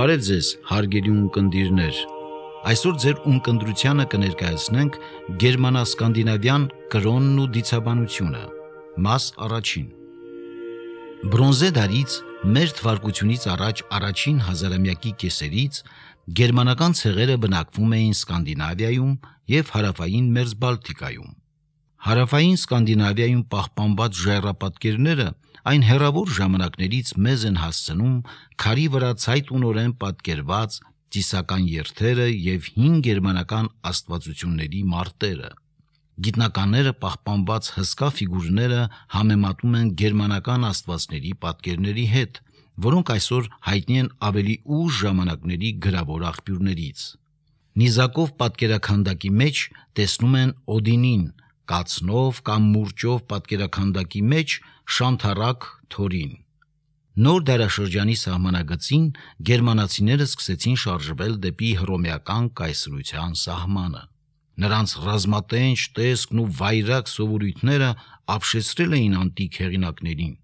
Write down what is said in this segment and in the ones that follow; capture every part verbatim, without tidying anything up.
Բարև ձեզ, հարգելի ունկնդիրներ։ Այսօր ձեր ունկնդրությանը կներկայացնենք գերմանա-սկանդինավյան կրոնն ու դիցաբանությունը։ Մաս առաջին։ Բրոնզե դարից մեր թվարկությունից առաջ առաջին հազարամյակի կեսերից գերմանական ցեղերը բնակվում էին Սկանդինավիայում և հարավային Մերձբալթիկայում։ Հարավային Սկանդինավիայում պահպանված ժայռապատկերները այն հեռավոր ժամանակներից մեզ են հասցնում քարի վրա ցայտունորեն պատկերված ծիսական երթերը և հին գերմանական աստվածությունների մարտերը։ Գիտնականները պահպանված հսկա ֆիգուրները համեմատում են գերմանական աստվածների պատկերների հետ, որոնք այսօր հայտնի են ավելի ուշ ժամանակների գրավոր աղբյուրներից։ Նիզակով պատկերաքանդակի մեջ տեսնում են Օդինին, կացնով կամ մուրճով պատկերաքանդակի մեջ շանթառակ Թորին։ Նոր դարաշրջանի սահմանագծին գերմանացիները սկսեցին շարժվել դեպի հռոմեական կայսրության սահմանը։ Նրանց ռազմատենչ տեսքն ու վայրագ սովորույթները ապշեցրել էին անտիկ հեղինակներին։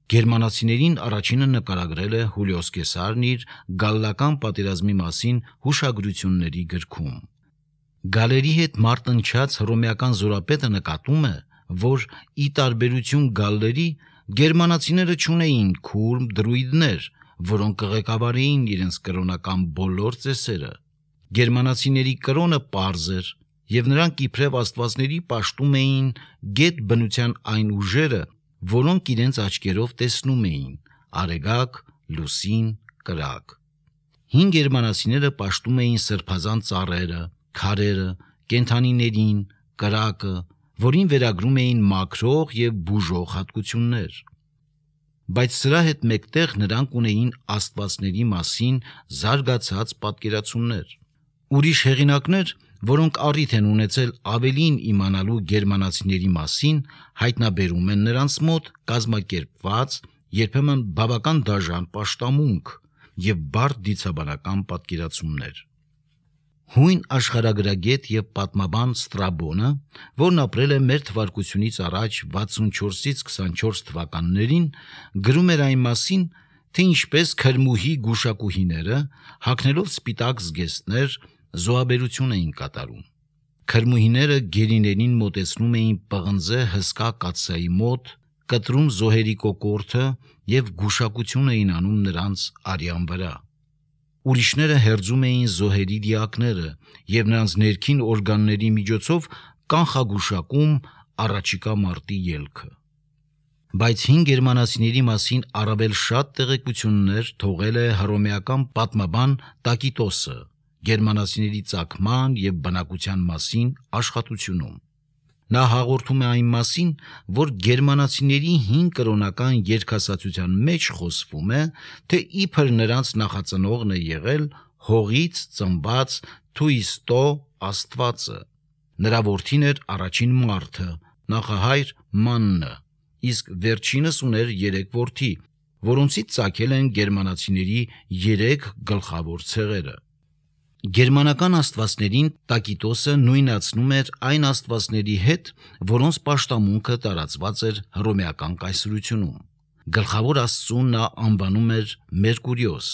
Գերմանացիներին առաջինը նկարագրել է Հուլիոս Կեսարն իր Գալլական պատերազմի մասին հուշագրությունների գրքում։ Գալերի հետ մարտնչած հռոմեական զորապետը նկատում է, որ ի տարբերություն գալլերի, գերմանացիները չունեին քուրմ դրույդներ, որոնք կղեկավարեին իրենց կրոնական բոլոր ծեսերը։ Գերմանացիների կրոնը պարզ էր, և նրանք իբրև աստվածների պաշտում էին գետ բնության այն ուժերը, որոնք իրենց աչքերով տեսնում էին՝ արեգակ, լուսին, կրակ։ Հին գերմանացիները պաշտում էին սրբազան ծառերը, քարերը, կենդանիներին, կրակը, որին վերագրում էին մաքրող և բուժող հատկություններ։ Բայց սրա հետ մեկտեղ նրանք ունեին աստվածների մասին զարգացած պատկերացումներ։ Ուրիշ հեղինակներ, որոնք առիթ են ունեցել ավելին իմանալու գերմանացիների մասին, հայտնաբերում են նրանց մոտ կազմակերպված, երբեմն բավական դաժան պաշտամունք և բարդ դիցաբանական պատկերացումներ։ Հույն աշխարհագրագետ և պատմաբան Ստրաբոնը, որն ապրել է մեր թվարկությունից առաջ վաթսունչորսից քսանչորս թվականներին, գրում էր այն մասին, թե ինչպես քրմուհի գուշակուհիները, հագնելով սպիտակ զգեստներ, զոհաբերություն էին կատարում։ Քրմուհիները գերիներին մոտեցնում էին պղնձե հսկա կաթսայի մոտ, կտրում զոհերի կոկորդը և գուշակություն էին անում նրանց արյան վրա։ Ուրիշները հերձում էին զոհերի դիակները և նրանց ներքին օրգանների միջոցով կանխագուշակում առաջիկա մարտի ելքը։ Բայց հին գերմանացիների մասին առավել շատ տեղեկություններ թողել է հռոմեական պատմաբան Տակիտոսը գերմանացիների ծագման և բնակության մասին աշխատությունում։ Նա հաղորդում է այն մասին, որ գերմանացիների հին կրոնական երգասացության մեջ խոսվում է, թե իբր նրանց նախածնողն է եղել հողից ծնված Թուիստո աստվածը։ Նրա որդին էր առաջին մարդը, նախահայր Մաննը, իսկ վերջինս ուներ երեք որդի, որոնցից ծագել են գերմանացիների երեք գլխավոր ցեղերը։ Գերմանական աստվածներին Տակիտոսը նույնացնում էր այն աստվածների հետ, որոնց պաշտամունքը տարածված էր հռոմեական կայսրությունում։ Գլխավոր աստծուն նա անվանում էր Մերկուրիոս։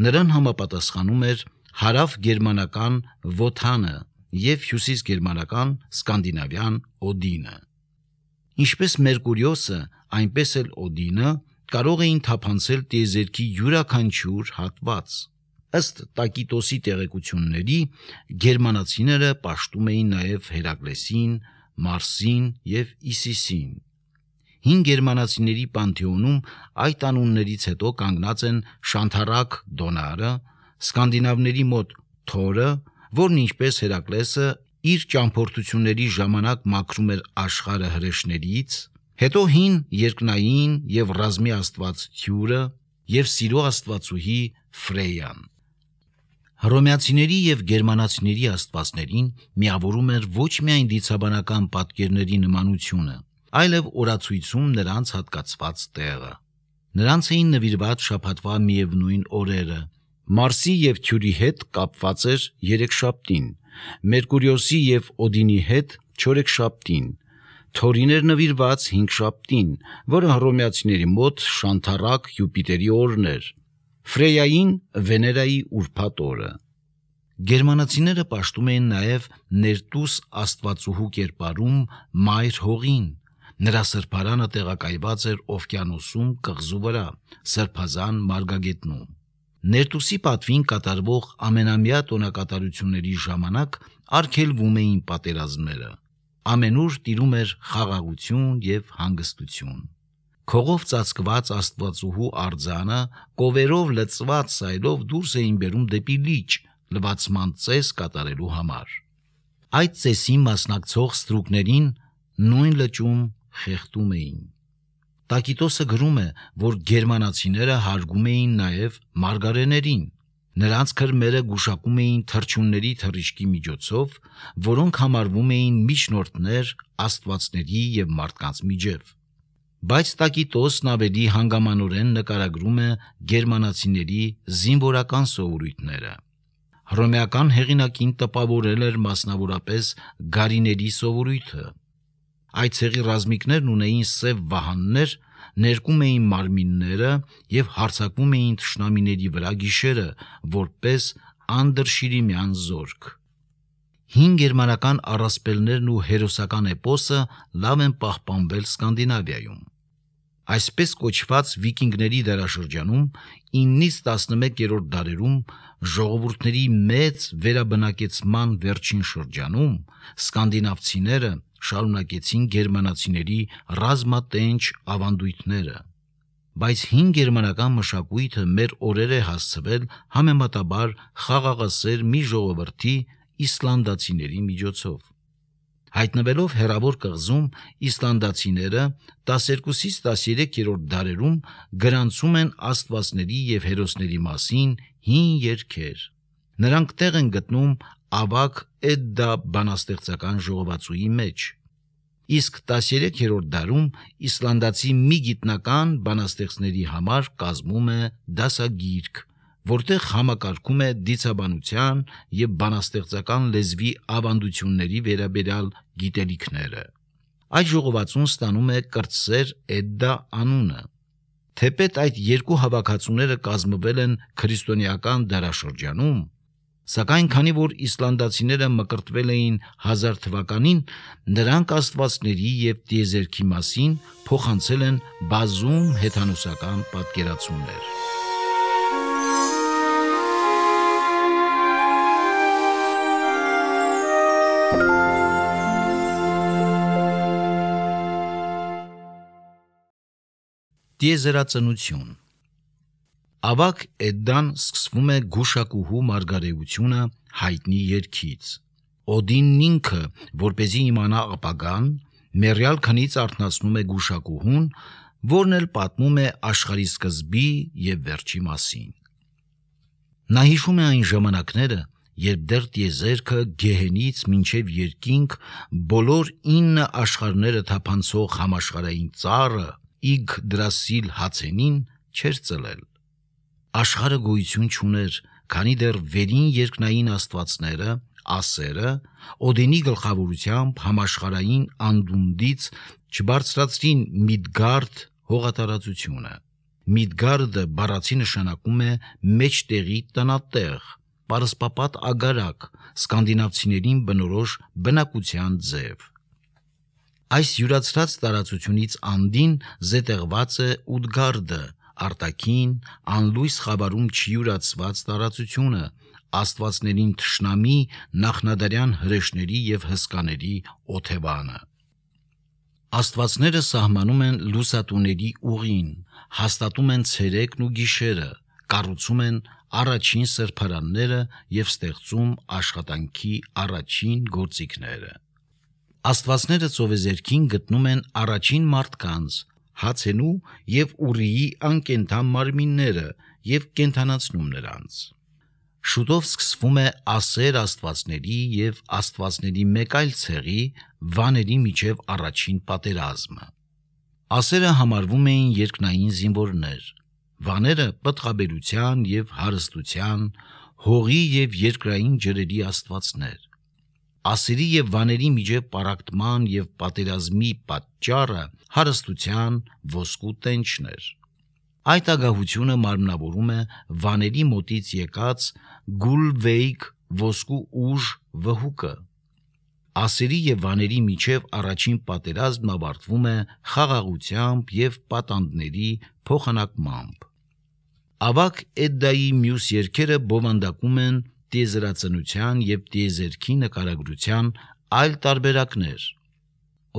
Նրան համապատասխանում էր հարավ-գերմանական Վոթանը և հյուսիս-գերմանական սկանդինավյան Օդինը։ Ինչպես Մերկուրիոսը, այնպես էլ Օդինը կարող էին թափանցել տիեզերքի յուրաքանչյուր հատված։ Ըստ Տակիտոսի տեղեկությունների, գերմանացիները պաշտում էին նաև Հերակլեսին, Մարսին և Իսիսին։ Հին գերմանացիների պանթեոնում այդ անուններից հետո կանգնած են շանթառակ Դոնարը, սկանդինավների մոտ Թորը, որն ինչպես Հերակլեսը իր ճամփորդությունների ժամանակ մաքրում էր աշխարհը հրեշներից, հետո հին երկնային և ռազմի աստված Թյուրը և սիրո աստվածուհի Ֆրեյան։ Հռոմեացիների և գերմանացիների աստվածներին միավորում էր ոչ միայն դիցաբանական պատկերների նմանությունը, այլև օրացույցում նրանց հատկացված տեղը։ Նրանց էին նվիրված շաբաթվա միևնույն օրերը։ Մարսի և Թյուրի հետ կապված էր երեքշաբթին, Մերկուրիոսի և Օդինի հետ չորեքշաբթին, Թորին էր նվիրված հինգշաբթին, որը հռոմեացիների մոտ շանթառակ Յուպիտերի օրն էր, Ֆրեյային Վեներայի ուրբաթ օրը։ Գերմանացիները պաշտում էին նաև ներտուս աստվածուհու կերպարում Մայր Հողին, նրա սրբարանը տեղակայված էր օվկիանոսում կղզու վրա, Սրբազան մարգագետնում։ Ներտուսի պատվին կատարվող ամենամյա տոնակատարությունների ժամանակ արգելվում էին պատերազմները։ Ամենուր տիրում էր խաղաղություն և հանգստություն։ Քողով ծածկված աստվածուհու արձանը կովերով լցված սայլով դուրս էին բերում դեպի լիճ, լվացման ծես կատարելու համար։ Այդ ծեսին մասնակցող ստրուկներին նույն լճում խեղդում էին։ Տակիտոսը գրում է, որ գերմանացիները հարգում էին նաև մարգարեներին։ Նրանց քրմերը գուշակում էին թռչունների թռիչքի միջոցով, որոնք համարվում էին միջնորդներ աստվածների և մարդկանց միջև։ Բայց Տակիտոսն ավելի հանգամանորեն նկարագրում է գերմանացիների զինվորական սովորույթները։ Հռոմեական հեղինակին տպավորել էր մասնավորապես գարիների սովորույթը։ Այդ ցեղի ռազմիկներն ունեին սև վահաններ, ներկում էին մարմինները և հարձակվում էին թշնամիների վրա գիշերը, որպես անդրշիրիմյան զորք։ Հին գերմանական առասպելներն ու հերոսական էպոսը լավ են պահպանվել Սկանդինավիայում։ Այսպես կոչված վիկինգների դարաշրջանում իննից տասնմեկերորդ դարերում ժողովուրդների մեծ վերաբնակեցման վերջին շրջանում սկանդինավցիները շարունակեցին գերմանացիների ռազմատենչ ավանդույթները։ Բայց հին գերմանական մշակույթը մեր օրեր է հասցվել համեմատաբար խաղաղասեր մի ժողովրդի իսլանդացիների միջոցով։ Հայտնվելով հեռավոր կղզում, իսլանդացիները տասներկուսից տասներեքերորդ դարերում գրանցում են աստվածների և հերոսների մասին հին երգեր։ Նրանք տեղ են գտնում ավագ Էդդա բանաստեղծական ժողովածուի մեջ։ Իսկ տասներեքերորդ դարում իսլանդացի մի գիտնական բանաստեղծների համար կազմում է դասագիրք, որտեղ համակարգում է դիցաբանության և բանաստեղծական լեզվի ավանդությունների վերաբերյալ գիտելիքները։ Այդ ժողովածուն ստանում է կրտսեր Էդդա անունը։ Թեպետ այդ երկու հավաքածուները կազմվել են քրիստոնեական դարաշրջանում, սակայն քանի որ իսլանդացիները մկրտվել էին հազար թվականին, նրանք աստվածների և տիեզերքի մասին փոխանցել են բազում հեթանոսական պատկերացումներ։ Տիեզերածնություն։ Ավագ Էդդան սկսվում է գուշակուհու մարգարեությունը հայտնի երգից։ Օդինն ինքը, որպեսզի իմանա ապագան, մեռյալ քնից արթնացնում է գուշակուհուն, որն էլ պատմում է աշխարհի սկզբի և վերջի մասին։ Նա հիշում է այն ժամանակները, երբ դեռ տիեզերքը գեհենից մինչև երկինք բոլոր ինը աշխարհները թափանցող համաշխարհային ծառը Իգդրասիլ հացենին չէր ծլել։ Աշխարհը գոյություն չուներ, քանի դեռ վերին երկնային աստվածները, ասերը, Օդինի գլխավորությամբ համաշխարհային անդունդից չբարձրացրին Միդգարդ հողատարածությունը։ Միդգարդը բառացի նշանակում է մեջտեղի տնատեղ, պարսպապատ ագարակ, սկանդինավցիներին բնորոշ բնակության ձև։ Այս յուրացրած տարածությունից անդին զետեղված է Ուդգարդը, արտաքին, անլույս խավարում չյուրացված տարածությունը, աստվածներին թշնամի նախնադարյան հրեշների և հսկաների օթևանը։ Աստվածները սահմանում են լուսատուների ուղին, հաստատում են ցերեկն ու գիշերը, կառուցում են առաջին սրբարանները և ստեղծում աշխատանքի առաջին գործիքները։ Աստվածները ծովեզերքին գտնում են առաջին մարդկանց, Հացենու և Ուրիի անկենդան մարմինները և կենդանացնում նրանց։ Շուտով սկսվում է ասեր աստվածների և աստվածների մեկ այլ ցեղի՝ վաների միջև առաջին պատերազմը։ Ասերը համարվում էին երկնային զինվորներ, վաները պտղաբերության և հարստության, հողի և երկրային ջրերի աստվածներ։ Ասերի և վաների միջև պառակտման և պատերազմի պատճառը հարստության ոսկու տենչն էր։ Այդ ագահությունը մարմնավորում է վաների մոտից եկած գուլվեյք ոսկու ուժ վհուկը։ Ասերի եւ վաների միջև առաջին պատերազմն ավարտվում է խաղաղությամբ եւ պատանդների փոխանակմամբ։ Ավակ Էդդայի մյուս երգերը բովանդակում են տիեզերածնության եւ տիեզերքի նկարագրության այլ տարբերակներ։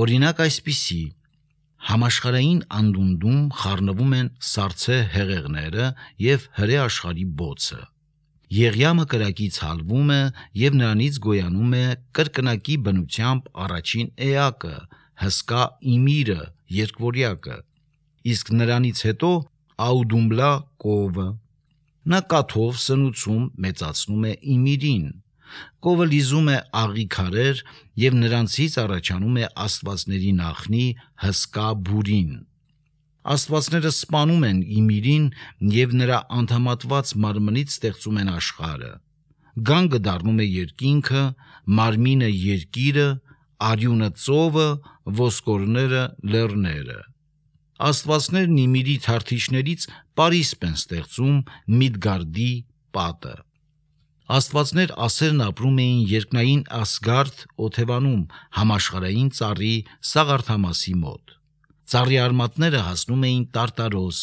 Օրինակ այսպիսի. համաշխարհային անդունդում խառնվում են սառցե հեղեղները եւ հրե աշխարհի բոցը։ Եղյամը կրակից հալվում է եւ նրանից գոյանում է կրկնակի բնությամբ առաջին էակը, հսկա իմիրը, երկվորյակը, իսկ նրանից հետո աուդումբլա կովը։ Նա կաթով սնուցում մեծացնում է իմիրին։ Կովը լիզում է աղի քարեր եւ նրանցից առաջանում է աստվածների նախնի հսկա բուրին։ Աստվածները սպանում են իմիրին եւ նրա անդամատված մարմնից ստեղծում են աշխարհը։ Գանգը դառնում է երկինքը, մարմինը երկիրը, արյունը ծովը, ոսկորները լեռները։ Աստվածներն իմիրի թարթիչներից պարիսպ են ստեղծում Միդգարդի պատը։ Աստվածներ ասերն ապրում էին երկնային Ասգարդ օթևանում համաշխարհային ծառի Սաղարթամասի մոտ։ Ծառի արմատները հասնում էին Տարտարոս,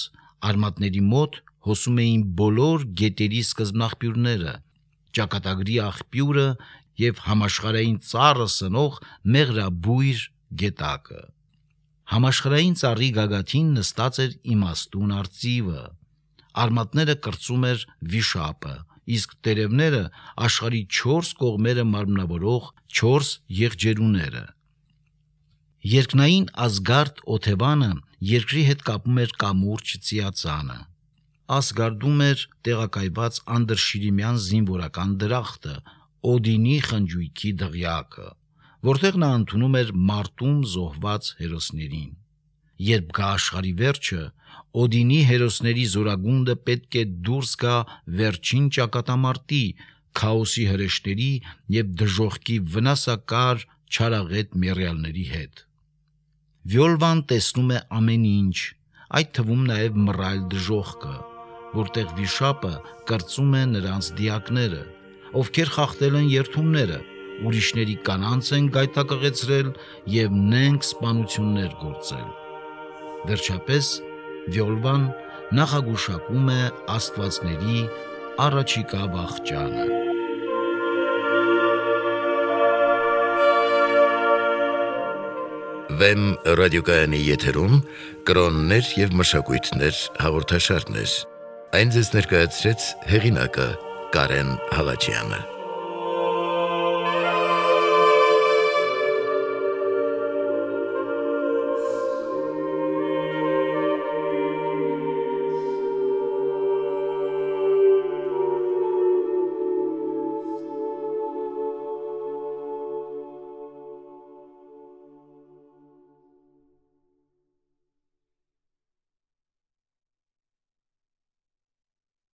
արմատների մոտ հոսում էին բոլոր գետերի սկզբնաղբյուրները, ճակատագրի աղբյուրը եւ համաշխարհային ծառը սնող մեղրաբույր գետակը։ Համաշխարհային ծառի գագաթին նստած էր իմաստուն արծիվը, արմատները կրծում էր վիշապը, իսկ տերևները աշխարհի չորս կողմերը մարմնավորող չորս եղջերուները։ Երկնային Ասգարդ օթևանը երկրի հետ կապում էր կամուրջ ծիածանը։ Ասգարդում էր տեղակայված անդրշիրիմյան զինվորական դրախտը, Օդինի խնջույքի դղյակը, որտեղ նա ընդունում էր մարտում զոհված հերոսներին։ Երբ գա աշխարհի վերջը, Օդինի հերոսների զորագունդը պետք է դուրս գա վերջին ճակատամարտի, քաոսի հրեշտերի եւ դժոխքի վնասակար չարաղետ մեռյալների հետ։ Վյոլվան տեսնում է ամեն ինչ, այդ թվում նաեւ մռայլ դժոխքը, որտեղ վիշապը կրծում է նրանց դիակները, ովքեր խախտել են երթումները, ուրիշների կանանց են գայթակղեցրել եւ նենգ սպանություններ գործել։ Վերջապես Վյոլվան նախագուշակում է աստվածների առաջիկա վախճանը։ Վեմ ռադիոկայանի եթերում կրոններ եւ մշակույթներ հաղորդաշարներ։ Այն ձեզ ներկայացրեց հեղինակը Կարեն Հալաջյանը։